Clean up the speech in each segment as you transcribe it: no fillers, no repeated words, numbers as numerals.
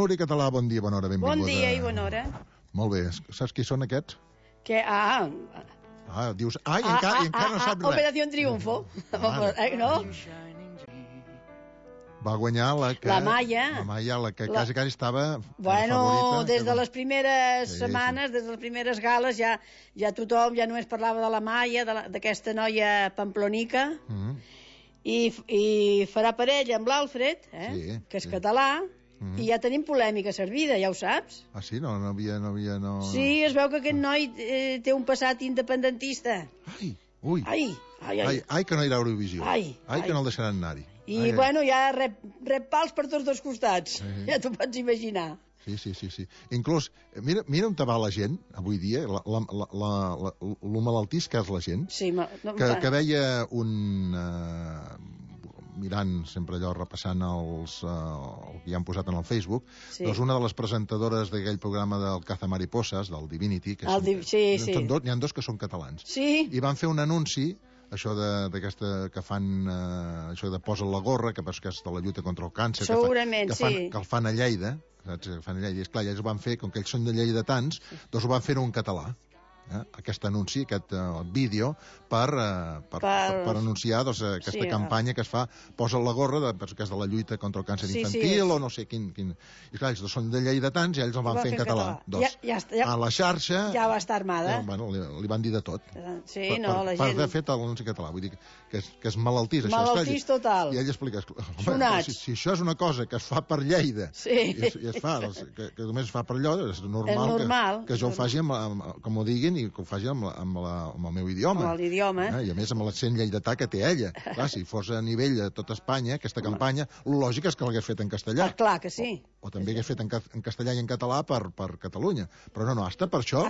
Núria Català, bon dia, bona hora, benvinguda. Bon dia i bona hora. Molt bé, saps qui són aquests? Que, Dius, i encara no sap res. Operació Triunfo. No? Va guanyar la Maia. La Maia, la que quasi estava favorita. Des de les primeres setmanes, des de les primeres gales, ja tothom ja només parlava de la Maia, d'aquesta noia pamplonica, i farà parella amb l'Alfred, que és català, i ja tenim polèmica servida, ja ho saps? Ah, sí? No havia... Sí, es veu que aquest noi té un passat independentista. Ai, que no irà a Eurovisió. Ai, que no el deixaran anar-hi. I, bueno, ja rep pals per tots dos costats. Ja t'ho pots imaginar. Sí. Inclús, mira on va la gent, avui dia, lo malaltís que és la gent, que veia mirant sempre allò, repassant el que hi han posat en el Facebook, doncs una de les presentadores d'aquell programa del Cazamariposas, del Divinity, que n'hi ha dos que són catalans, i van fer un anunci, això d'aquesta que fan, això de posa la gorra, que és de la lluita contra el càncer, que el fan a Lleida, saps? Que fan a Lleida, i esclar, ells ho van fer, com que ells són de lleidatans, doncs ho van fer en català. Aquest anunci, aquest vídeo per anunciar aquesta campanya que es fa, posa la gorra que és de la lluita contra el càncer infantil o no sé quin... I clar, ells són de lleidatans i ells el van fer en català. A la xarxa ja va estar armada. Li van dir de tot la gent... per haver fet l'anunci català, vull dir que és malaltís. Malaltís total. I ell explica, si això és una cosa que es fa per Lleida i es fa, que només es fa per allò, és normal que jo ho faci com ho diguin i que ho faci amb el meu idioma. Amb l'idioma. I a més amb l'accent lleidatà que té ella. Clar, si fos a nivell de tota Espanya, aquesta campanya, el lògic és que l'hagués fet en castellà. Clar que sí. O també hagués fet en castellà i en català per Catalunya. Però no, hasta per això.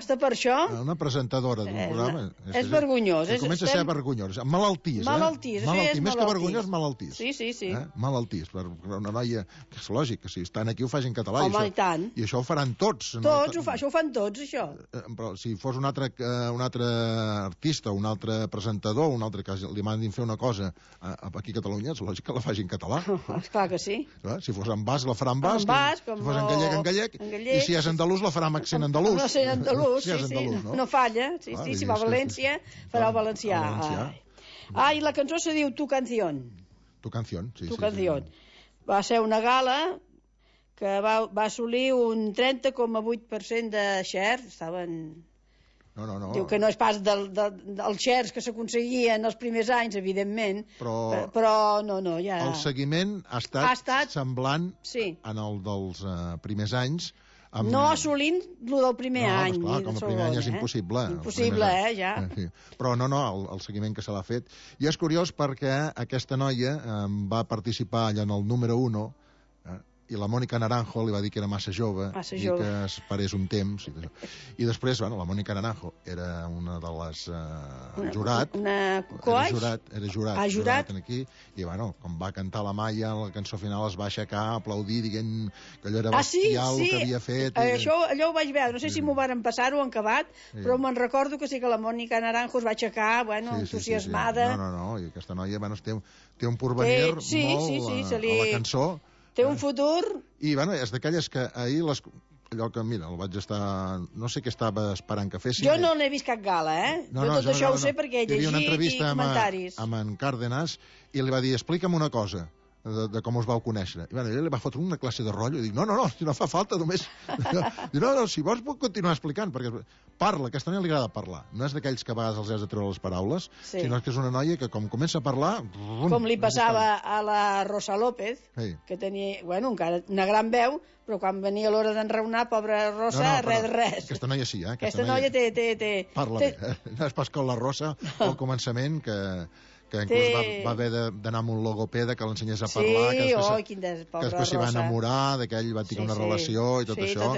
Una presentadora d'un programa... És vergonyós. Comença a ser vergonyós. Malaltís, més que vergonyós, malaltís. Sí. Malaltís. Per una noia, que és lògic, que si estan aquí ho facin en català. Home, i tant. I això ho faran tots. Això ho fan tots, això. Però si fos un altre artista, un altre presentador, un altre que li mandin fer una cosa aquí a Catalunya, és lògic que la faci en català. Clar que sí. Si fos en basc, la farà en basc. Si fos en gallec, i si és andalús, la farà amb accent andalús. No sé, andalús, sí. No falla. Sí, si va a València, farà el valencià. I la cançó se diu Tu Canción. Tu Canción, sí. Tu Canción. Va ser una gala que va assolir un 30,8% de share. Estaven... No. Diu que no és pas dels shares que s'aconseguien els primers anys, evidentment, però no, ja... El seguiment ha estat semblant en el dels primers anys. No assolint el del primer any. Clar, com el primer any és impossible. Impossible, ja. Però no, el seguiment que se l'ha fet. I és curiós perquè aquesta noia va participar allà en el número 1, i la Mònica Naranjo li va dir que era massa jove, i que esperés un temps. I després, la Mònica Naranjo era una de les jurat. Era jurat aquí, i com va cantar la Maia, la cançó final es va aixecar, aplaudir, dient que allò era bestial el que havia fet. Allò ho vaig veure, no sé si m'ho varen passar o han acabat, però me'n recordo que sí que la Mònica Naranjo es va aixecar, entusiasmada. No, i aquesta noia té un porvenir molt a la cançó. Té un futur... I, és d'aquelles que ahir allò que, mira, el vaig estar... No sé què estava esperant que fessin. Jo no n'he vist cap gala, Jo tot això ho sé perquè he llegit i comentaris. Hi havia una entrevista amb en Cárdenas i li va dir, explica'm una cosa de com us vau conèixer. I ell li va fotre una classe de rotllo i dic, no, si no fa falta, només... No, si vols puc continuar explicant, perquè parla, aquesta noia li agrada parlar. No és d'aquells que a vegades els has de treure les paraules, sinó que és una noia que com comença a parlar... Com li passava a la Rosa López, que tenia, encara una gran veu, però quan venia l'hora d'enraonar, pobra Rosa, res. Aquesta noia sí, Aquesta noia té... Parla bé, no és pas com la Rosa al començament, que inclús va haver d'anar amb un logopeda que l'ensenyés a parlar, que després s'hi va enamorar, que ell va tenir una relació i tot això,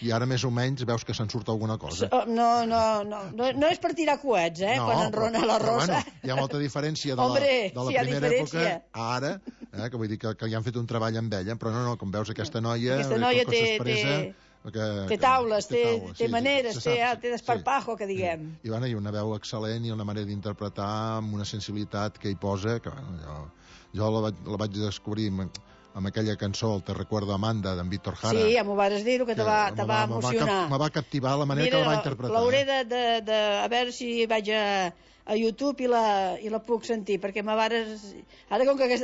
i ara més o menys veus que se'n surt alguna cosa. No és per tirar coets, quan enrona la Rosa. Hi ha molta diferència de la primera època a ara, que vull dir que hi han fet un treball amb ella, però no, com veus aquesta noia té taules, té maneres, té desparpajo, que diguem. I una veu excel·lent i una manera d'interpretar amb una sensibilitat que hi posa, que jo la vaig descobrir amb aquella cançó, el Te recuerdo Amanda, d'en Víctor Jara. Sí, ja m'ho vas dir, que te va emocionar. Me va captivar la manera que la va interpretar. L'hauré a veure si vaig a YouTube i la puc sentir, perquè ara com que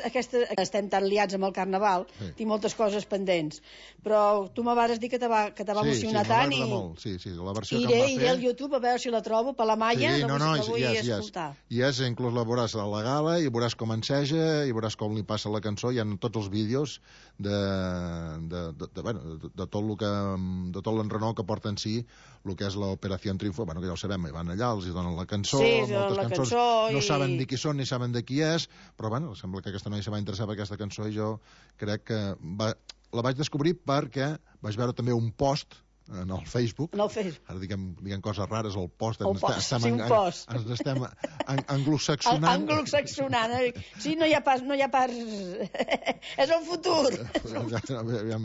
estem tan liats amb el Carnaval, tinc moltes coses pendents, però tu me vas dir que te va emocionar tant i la versió que em va fer... Iré al YouTube a veure si la trobo per la Maia, la vull escoltar. I inclús la veuràs a la gala i veuràs com enseja i veuràs com li passa la cançó, hi ha tots els vídeos de tot l'enrenou que porta en si el que és l'Operació Triunfo, que ja ho sabem, van allà, els donen la cançó, moltes cançons no saben de qui són ni saben de qui és, però sembla que aquesta noia se va interessar per aquesta cançó i jo crec que la vaig descobrir perquè vaig veure també un post en el Facebook. Ara diguem coses rares, el post. Un post. Ens estem anglosaxonant. Anglosaxonant. Sí, no hi ha pas... És el futur.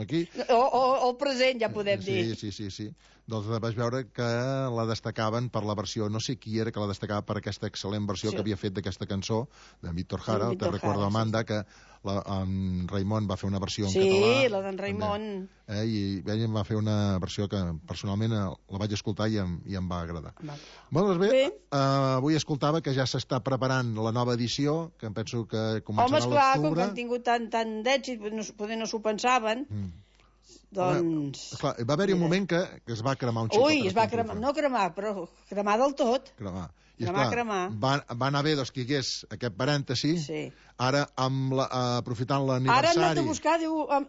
Aquí. O el present, ja podem dir. Sí. Doncs vaig veure que la destacaven per la versió, no sé qui era que la destacava per aquesta excel·lent versió que havia fet d'aquesta cançó de Víctor Jara, Te recuerdo Amanda, que en Raimon va fer una versió en català. Sí, la d'en Raimon. I ell em va fer una versió que personalment la vaig escoltar i em va agradar. Doncs bé, avui escoltava que ja s'està preparant la nova edició, que em penso que començarà a l'octubre. Home, esclar, com que han tingut tant d'èxit, poder no s'ho pensaven... Doncs... Esclar, va haver-hi un moment que es va cremar un xicot. Ui, es va cremar, no cremar, però cremar del tot. I esclar, va anar bé que hi hagués aquest parèntesi, ara aprofitant l'aniversari... Ara han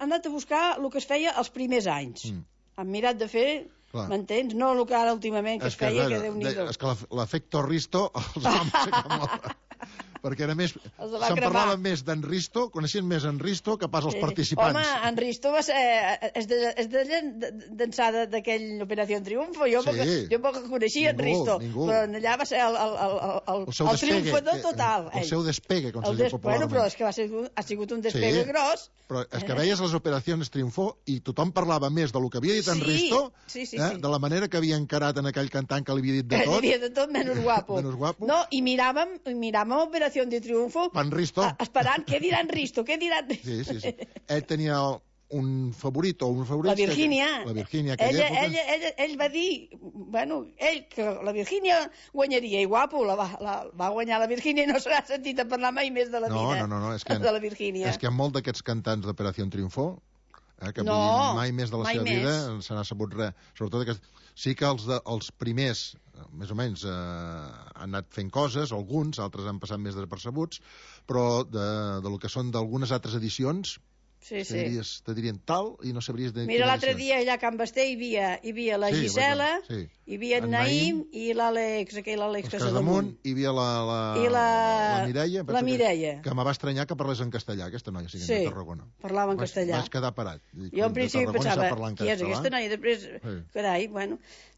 anat a buscar el que es feia els primers anys. Han mirat de fer... M'entens? No el que ara últimament que es feia, que Déu-n'hi-do. És que l'efecte Risto els va aixecar molt. Perquè era més... Se'n parlava més d'en Risto, coneixien més en Risto que pas els participants. Home, en Risto va ser... És d'ençà d'aquella Operació Triunfo. Jo poc coneixia en Risto, però allà va ser el triomfador total. El seu despegue, com se diu popularment. Però és que ha sigut un despegue gros. Però és que veies les Operacions Triunfo i tothom parlava més del que havia dit en Risto, de la manera que havia encarat en aquell cantant que li havia dit de tot. Que li havia de tot, menys guapo. No, i miràvem Operació de Triunfo esperant què diran Risto, què diran... Sí. Ell tenia un favorit o un favorit... La Virgínia. Ell va dir, que la Virgínia guanyaria, i guapo, va guanyar la Virgínia i no se n'ha sentit a parlar mai més de la vida de la Virgínia. És que molts d'aquests cantants d'Operació Triunfo, que mai més de la seva vida se n'ha sabut res. Sobretot sí que els primers, més o menys, han anat fent coses, alguns, altres han passat més desapercebuts, però del que són d'algunes altres edicions, te dirien tal i no sabries de... Mira, l'altre dia allà a Can Basté hi havia la Gisela, hi havia en Naïm i l'Àlex, Casademunt, hi havia la Mireia, que me va estranyar que parlés en castellà, aquesta noia, de Tarragona. Parlava en castellà. Vaig quedar parat. Jo en principi pensava, qui és aquesta noia? Després, carai,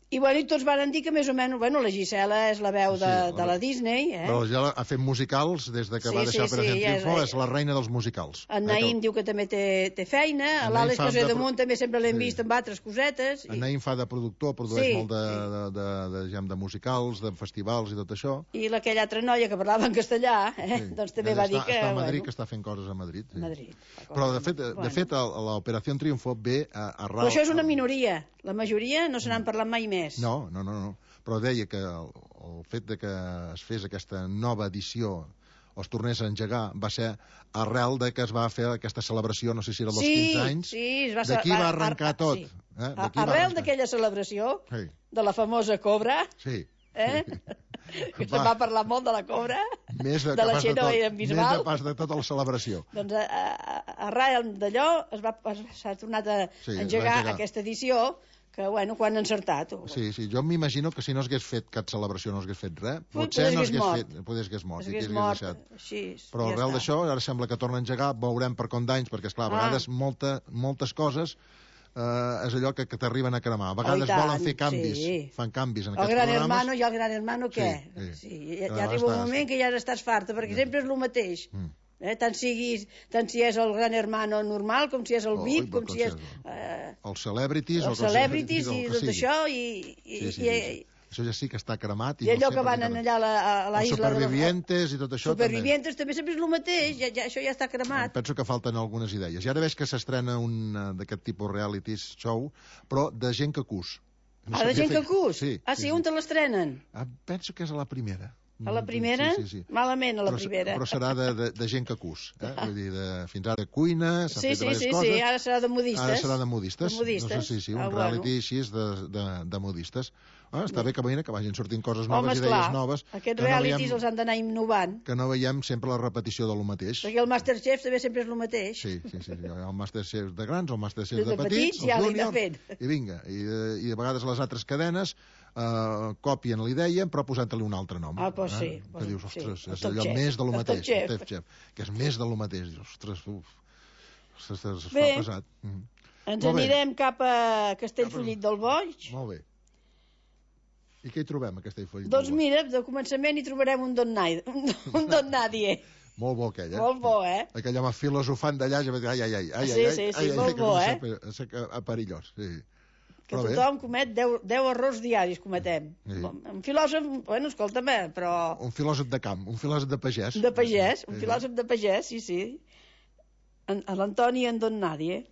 I tots van dir que més o menys, la Gisela és la veu de la Disney, Però ja ha fet musicals des que va deixar Operació Triunfo, és la reina dels musicals. En Naïm diu que també té feina, l'Àlex Casademunt també sempre l'hem vist amb altres cosetes. En Naïm fa de productor, produeix molt de musicals, de festivals i tot això. I aquella altra noia que parlava en castellà, doncs també va dir que... Està a Madrid, que està fent coses a Madrid. Però, de fet, l'Operació Triunfo ve arrel... Però això és una minoria. La majoria no se n'han parlat mai més. No. Però deia que el fet de que es fes aquesta nova edició o es tornés a engegar va ser arrel de que es va fer aquesta celebració, no sé si era dels 15 anys. D'aquí va arrencar tot. Arrel d'aquella celebració, de la famosa Cobra, que se'n va parlar molt de la Cobra, de la Xenó i en Bisbal. Més de pas de tota la celebració. Doncs arrel d'allò s'ha tornat a engegar aquesta edició, que, quan han encertat. Sí, jo m'imagino que si no s'hagués fet cap celebració, no s'hagués fet res, potser no s'hagués mort. Però arrel d'això, ara sembla que torna a engegar, veurem per com d'anys, perquè, esclar, a vegades moltes coses és allò que t'arriben a cremar. A vegades volen fer canvis, fan canvis en aquests programes. El Gran Hermano i el Gran Hermano què? Ja arriba un moment que ja estàs farta, perquè sempre és el mateix. Tant si és el Gran Hermano normal, com si és el VIP, com si és... Els celebrities i tot això, Això ja sí que està cremat. I allò que van allà a la isla... Supervivientes i tot això també. Supervivientes també sempre és el mateix, això ja està cremat. Penso que falten algunes idees. I ara veig que s'estrena un d'aquest tipus reality show, però de gent que cus. De gent que cus? Sí. Sí, on te l'estrenen? Penso que és a la primera. A la primera? Sí. Malament, a la primera. Però serà de gent que cus. Vull dir, fins ara de cuina, s'ha fet diverses coses. Sí, ara serà de modistes. Ara serà de modistes. No sé, sí, un reality així de modistes. Està bé que vagin sortint coses noves, idees noves. Aquests realities els han d'anar innovant. Que no veiem sempre la repetició de lo mateix. Perquè el Masterchef també sempre és el mateix. Sí. El Masterchef de grans, el Masterchef de petits, el júnior, i vinga. I de vegades les altres cadenes copien la idea però posant-li un altre nom. Doncs sí. Que dius, ostres, és allò més de lo mateix. El Top Chef, que és més de lo mateix. Dius, ostres, es fa pesat. Ens anirem cap a Castellfollit del Boix. Molt bé. I què hi trobem, a Castellfollit del Boix? Doncs mira, de començament hi trobarem un Don Nadie. Molt bo aquell, Molt bo, Aquell home filosofant d'allà, ai, sí, molt bo, perillós, sí. Que tothom comet 10 errors diaris, cometem. Un filòsof, bueno, escolta'm, però... Un filòsof de camp, un filòsof de pagès. De pagès, un filòsof de pagès, sí. L'Antoni i en Don Nadie.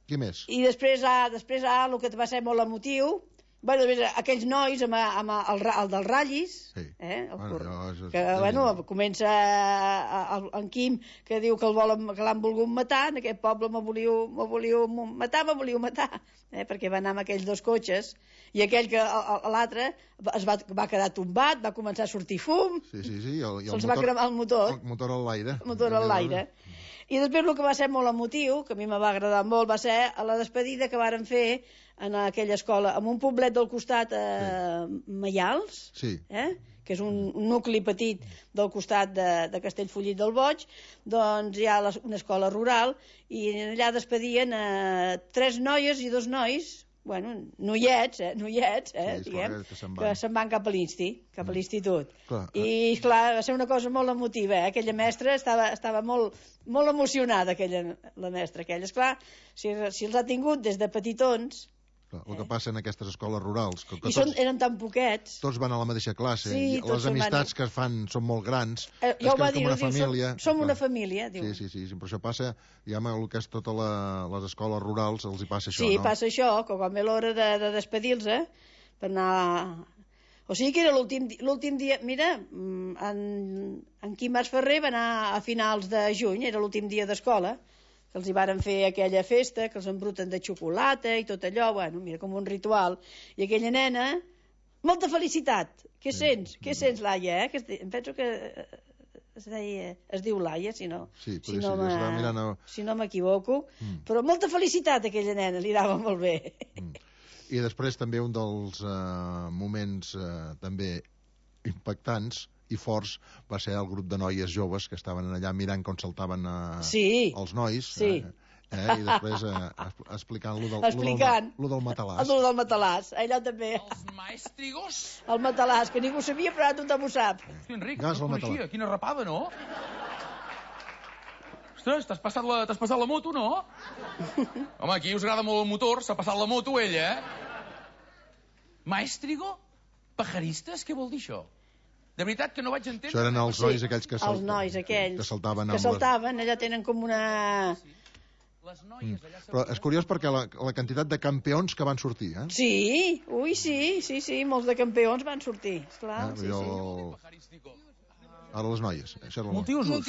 Qui més? I després el que va ser molt emotiu, aquells nois amb el dels ratllis, que comença en Quim, que diu que l'han volgut matar, en aquest poble me volíeu matar, perquè va anar amb aquells 2 cotxes, i aquell que l'altre es va quedar tombat, va començar a sortir fum, se'ls va cremar el motor. El motor en l'aire. El motor en l'aire. I després el que va ser molt emotiu, que a mi me va agradar molt, va ser a la despedida que varen fer en aquella escola, en un poblet del costat, Maials, que és un nucli petit del costat de Castellfollit del Boix, doncs hi ha una escola rural, i allà despedien 3 noies i 2 nois, noiets, diguem, que se'n van cap a l'institut. I, esclar, va ser una cosa molt emotiva, Aquella mestra estava molt emocionada, la mestra aquella. Esclar, si els ha tingut des de petitons... El que passa en aquestes escoles rurals... I eren tan poquets. Tots van a la mateixa classe, i les amistats que es fan són molt grans. Ja ho va dir, som una família, diu. Sí, però això passa, diguem, el que és totes les escoles rurals, els hi passa això, no? Sí, passa això, que quan ve l'hora de despedir-se, per anar... O sigui que era l'últim dia... Mira, en Quim Masferrer va anar a finals de juny, era l'últim dia d'escola, que els hi varen fer aquella festa, que els embruten de xocolata i tot allò, mira, com un ritual. I aquella nena, molta felicitat. Què sents? Què sents, Laia? Em penso que es diu Laia, si no m'equivoco. Però molta felicitat, aquella nena, li anava molt bé. I després també un dels moments també impactants i forts va ser el grup de noies joves que estaven allà mirant com saltaven els nois, i després explicant lo del matalàs. El del matalàs, allò també. Els maestrigos. El matalàs, que ningú sabia, però ara tothom ho sap. Hosti, Enric, no coneixia, quina rapada, no? Ostres, t'has passat la moto, no? Home, aquí us agrada molt el motor, s'ha passat la moto, ella, Maestrigo? Pajaristes? Què vol dir això? De veritat que no vaig entendre... Això eren els nois aquells que saltaven. Que saltaven, allà tenen com una... Però és curiós perquè la quantitat de campions que van sortir, Sí, sí, molts de campions van sortir, esclar, Ara les noies. Multiusos.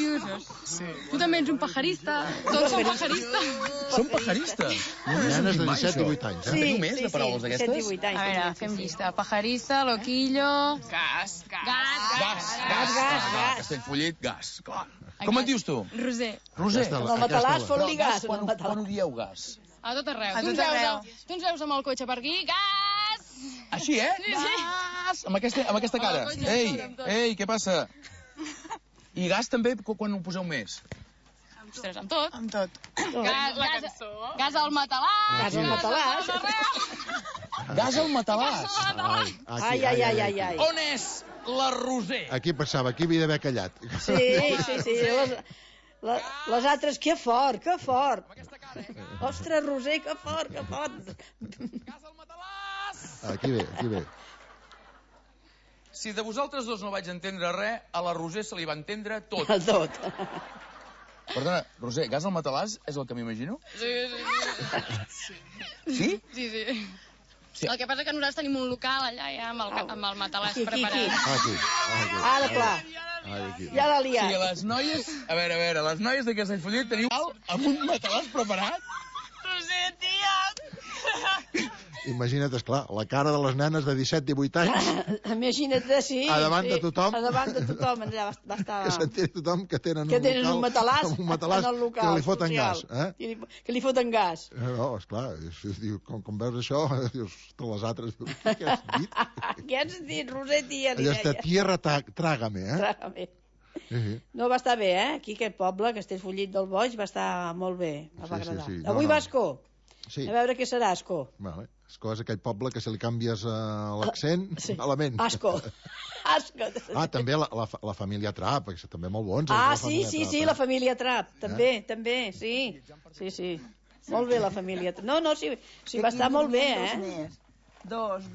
Sí. Tu també ets un pajarista. Tots som pajaristes. Som pajaristes? Nenes de 17 i 18 anys, Teniu més de paraules d'aquestes? A veure, fem llista. Pajarista, loquillo... Gas. Castellfollit, gas. Com et dius tu? Roser. El matalàs fot-li gas. Quan ho dieu, gas? A tot arreu. Tu ens veus amb el cotxe per aquí, gas! Així, Gas! Amb aquesta cara. Ei, què passa? I gas també quan ho poseu més? Ostres, amb tot. Amb tot. La cançó. Gas al matalàs. Gas al matalàs. Gas al matalàs. Ai. On és la Roser? Aquí passava, aquí havia d'haver callat. Sí. Les altres, que fort. Amb aquesta cara, Ostres, Roser, que fort. Gas al matalàs. Aquí ve. si de vosaltres dos no vaig entendre res, a la Roser se li va entendre tot. Tot. Perdona, Roser, gas al matalàs és el que m'imagino? Sí. Sí? Sí. El que passa que nosaltres tenim un local allà ja amb el matalàs preparat. Aquí. Ara, clar. Ja l'ha liat. Sí, les noies... A veure, les noies de Castellfollit teniu amb un matalàs preparat? Roser, tia! Imagina't, esclar, la cara de les nenes de 17-18 anys... Imagina't, sí. A davant de tothom. A davant de tothom, allà va estar... Que s'entén tothom que tenen un matalàs en el local que li foten gas. Que li foten gas. No, esclar, com veus això, dius, totes les altres... Què has dit? Què has dit, Roser, tia? Allò està, tierra, trágame, Trágame. No, va estar bé, Aquí, aquest poble, Castellfollit del Boix, va estar molt bé. Va agradar. Avui va a Ascó. Sí. A veure què serà Ascó. Vale. Ascó és aquell poble que si li canvies l'accent, malament. Ascó. També la família Trapp, que també molt bons. Sí, la família Trapp. També, sí. Molt bé, la família Trapp. No, sí, va estar molt bé, Dos,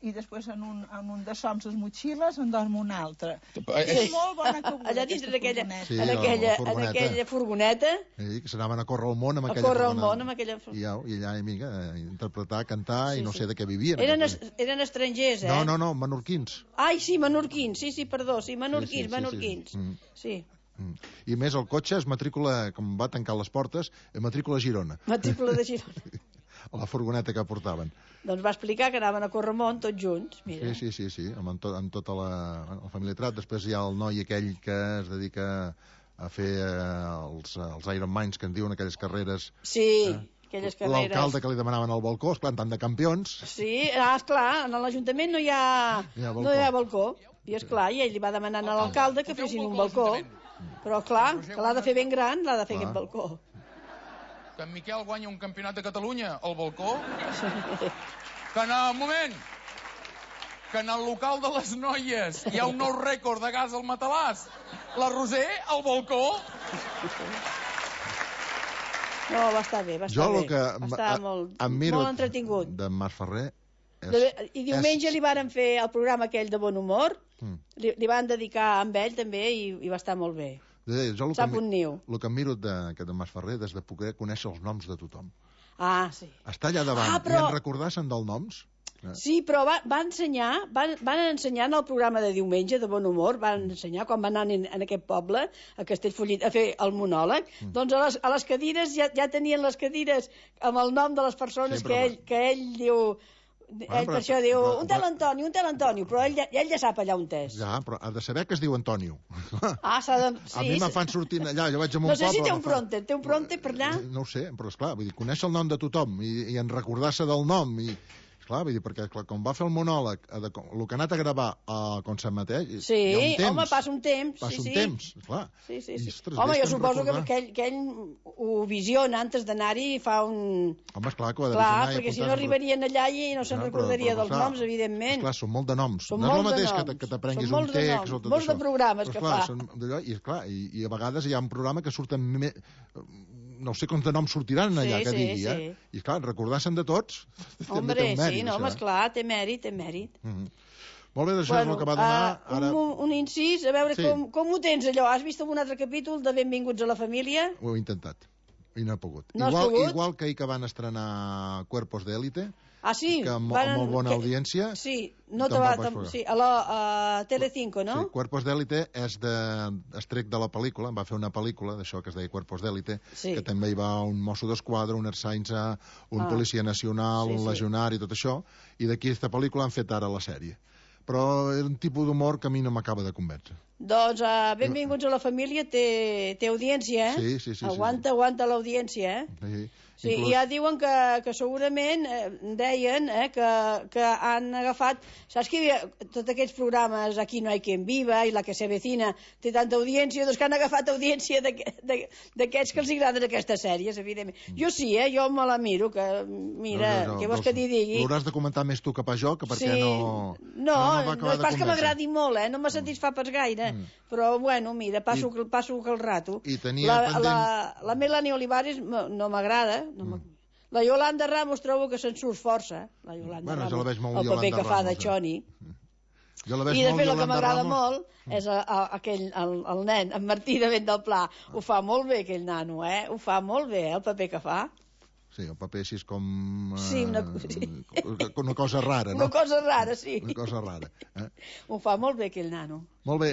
i després en un de soms les motxilles en dorm un altre. És molt bona cabuda. Allà dintre aquella furgoneta. Sí, que s'anaven a córrer el món amb aquella furgoneta. I allà, amiga, interpretar, cantar, i no sé de què vivien. Eren estrangers, No, menorquins. Ai, sí, menorquins, perdó, menorquins. Sí. I més, el cotxe es matricula, com va tancar les portes, matrícula Girona. Matrícula de Girona. La furgoneta que portaven. Doncs va explicar que anaven a Corremont tots junts, mira. Sí, amb tota la família Trapp. Després hi ha el noi aquell que es dedica a fer els Ironmans, que en diuen aquelles carreres. Sí, aquelles carreres. L'alcalde que li demanaven al balcó, esclar, tant de campions. Sí, esclar, en l'Ajuntament no hi ha balcó. I esclar, i ell li va demanar a l'alcalde que fessin un balcó. Però clar, que l'ha de fer ben gran, l'ha de fer aquest balcó. Que en Miquel guanya un campionat de Catalunya al balcó? Que en el local de les noies hi ha un nou rècord de gas al matalàs. La Roser al balcó? No, va estar bé, va estar molt entretingut. De Mas Ferrer... I diumenge li varen fer el programa aquell de Bon Humor, li van dedicar amb ell també i va estar molt bé. Sap un niu. El que em miro d'aquest de Mas Ferrer és de poder conèixer els noms de tothom. Sí. Està allà davant i en recordar-se'n dels noms. Sí, però van ensenyar en el programa de diumenge de Bon Humor, van ensenyar quan van anar en aquest poble, a Castellfollit, a fer el monòleg, doncs a les cadires ja tenien les cadires amb el nom de les persones que ell diu... Ell per això diu, un tal Antoni, però ell ja sap allà on és. Ja, però ha de saber que es diu Antonio. S'ha de... A mi me fan sortir allà, jo vaig a un poble... No sé si té un pronter per allà? No ho sé, però esclar, vull dir, conèixer el nom de tothom i en recordar-se del nom i... Clar, vull dir, perquè quan va fer el monòleg, el que ha anat a gravar a Consell Mateix, sí, hi ha un temps. Home, passa un temps. Passa un temps, clar. Sí. Ostres, home, jo suposo que ell ho visiona antes d'anar-hi i fa un... Home, esclar, que ho ha de visionar. Clar, perquè si no arribarien allà i no se'n recordaria dels noms, evidentment. Esclar, són molt de noms. No és el mateix que t'aprenguis un text o tot això. Molts de programes que fa. I a vegades hi ha un programa que surten... No sé quants de noms sortiran allà, que digui, I clar, recordar-se'n de tots... Hombre, sí, no, home, esclar, té mèrit. Molt bé, això és el que va donar... Un incís, a veure com ho tens, allò. Has vist algun altre capítol de Benvinguts a la família? Ho he intentat, i no he pogut. No has pogut? Igual que ahir que van estrenar Cuerpos de Élite, sí? Que amb molt bona audiència... Sí, a Telecinco, no? Sí, Cuerpos d'Élite és estrec de la pel·lícula, va fer una pel·lícula d'això que es deia Cuerpos d'Élite, que també hi va un mosso d'esquadra, un ertzaintza, un policia nacional, un legionari, tot això, i d'aquí aquesta pel·lícula han fet ara la sèrie. Però és un tipus d'humor que a mi no m'acaba de convèncer. Doncs Benvinguts a la família té audiència, Sí. Aguanta l'audiència, Sí, i ja diuen que segurament deien que han agafat... Saps que hi havia tots aquests programes Aquí no hay quien viva i La que se avecina té tanta audiència, doncs que han agafat audiència d'aquests que els agraden aquestes sèries, evidentment. Jo sí, jo me la miro, que mira, què vols que t'hi digui? L'hauràs de comentar més tu que pas jo, que perquè no... No és pas que m'agradi molt, no me satisfà pas gaire, però bueno, mira, passo el rato. I tenia pendent... La Melanie Olivares no m'agrada. La Yolanda Ramos trobo que se'n surt força. La Yolanda Ramos, el paper que fa de Choni. I després el que m'agrada molt és el nen, en Martí de Vent del Pla. Ho fa molt bé aquell nano, ho fa molt bé, el paper que fa. Sí, el paper així és com... Sí, una cosa rara, no? Una cosa rara, sí. Una cosa rara. Ho fa molt bé aquell nano. Molt bé,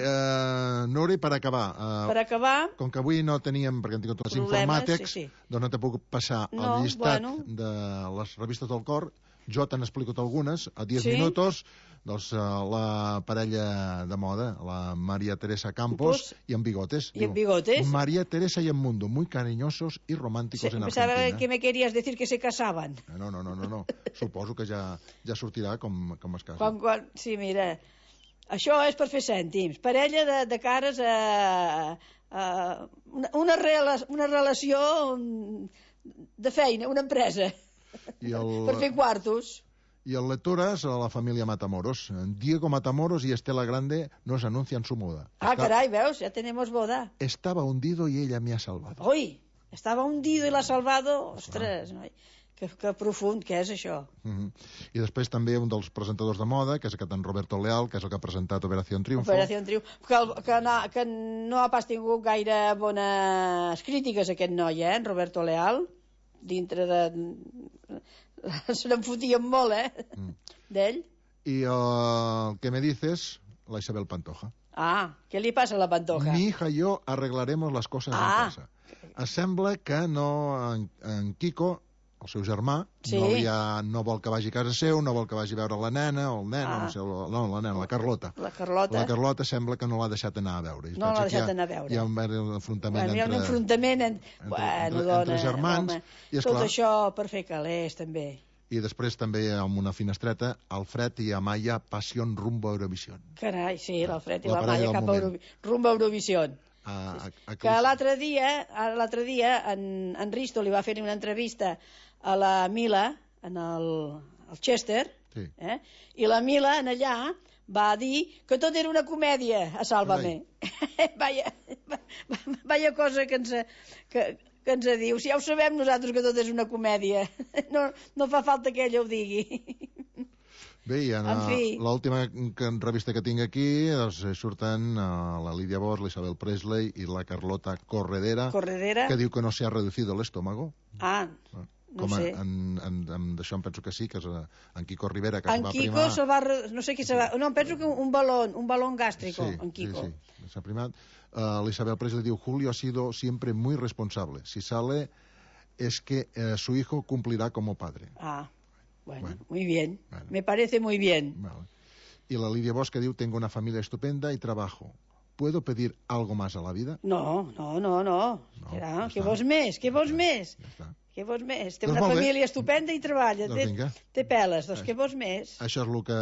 Nuri, per acabar... Per acabar... Com que avui no teníem, perquè hem tingut les informàtics, doncs no t'he pogut passar el llistat de les revistes del cor. Jo te n'he algunes, a 10 minuts, doncs la parella de moda, la María Teresa Campos y en Bigotes. ¿Y en Bigotes? María Teresa y en Mundo, muy cariñosos y románticos en Argentina. Pensava que me querías decir que se casaban. No. Suposo que ja sortirà com es casa. Sí, mira, això és per fer cèntims. Parella de cares a una relació de feina, una empresa. Per fer quartos. Y el lectoras a la familia Matamoros. Diego Matamoros y Estela Grande nos anuncian su boda. Caray, veus, ya tenemos boda. Estaba hundido y ella me ha salvado. Uy, estaba hundido y l'ha salvado. Ostres, noi, que profund que és això. I després també un dels presentadors de moda, que és aquest en Roberto Leal, que és el que ha presentat Operación Triunfo. Operación Triunfo, que no ha pas tingut gaire bones crítiques aquest noi, en Roberto Leal. Dintre de... se n'en fotien molt, d'ell. I el que me dices, la Isabel Pantoja. Què li passa a la Pantoja? Mi hija y yo arreglaremos las cosas en casa. Sembla que no, en Quico, el seu germà, no vol que vagi a casa seu, no vol que vagi a veure la nena, o el nen, no, la nena, la Carlota. La Carlota sembla que no l'ha deixat anar a veure. No l'ha deixat anar a veure. Hi ha un enfrontament entre germans. Tot això per fer calés, també. I després també amb una finestreta, Alfred i Amaya, Passion rumbo a Eurovisión. Carai, sí, l'Alfred i l'Amaya cap rumbo a Eurovisión. Que l'altre dia en Risto li va fer una entrevista a la Mila, en el Chester, i la Mila en allà va dir que tot era una comèdia a Sálvame. Vaya cosa que ens diu. Si ja ho sabem nosaltres que tot és una comèdia. No fa falta que ella ho digui. Bé, i l'última revista que tinc aquí surten la Lídia Bosch, l'Isabel Presley i la Carlota Corredera, que diu que no s'ha reducido el estómago. No sé. D'això em penso que sí, que és en Quico Rivera, que es va primar... En Quico no sé qui se va... No, em penso que un balón gástrico, en Quico. Sí, s'ha primat. L'Isabel Presley diu, Julio ha sido siempre muy responsable. Si sale es que su hijo cumplirá como padre. Bueno, muy bien. Me parece muy bien. Vale. Y la Lidia Bosch que diu, tengo una familia estupenda y trabajo. ¿Puedo pedir algo más a la vida? No. Què vols més? Què vols més? Què vols més? Té una família estupenda i treballa. Té peles, doncs què vols més? Això és el que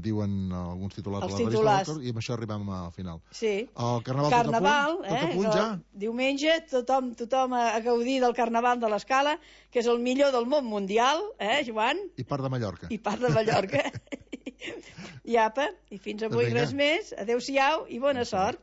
diuen alguns titulars de la revista i amb això arribem al final. Sí. El Carnaval, tot a punt ja. Diumenge tothom a gaudir del Carnaval de l'Escala, que és el millor del món mundial, Joan? I part de Mallorca. I apa, i fins avui res més. Adéu-siau i bona sort.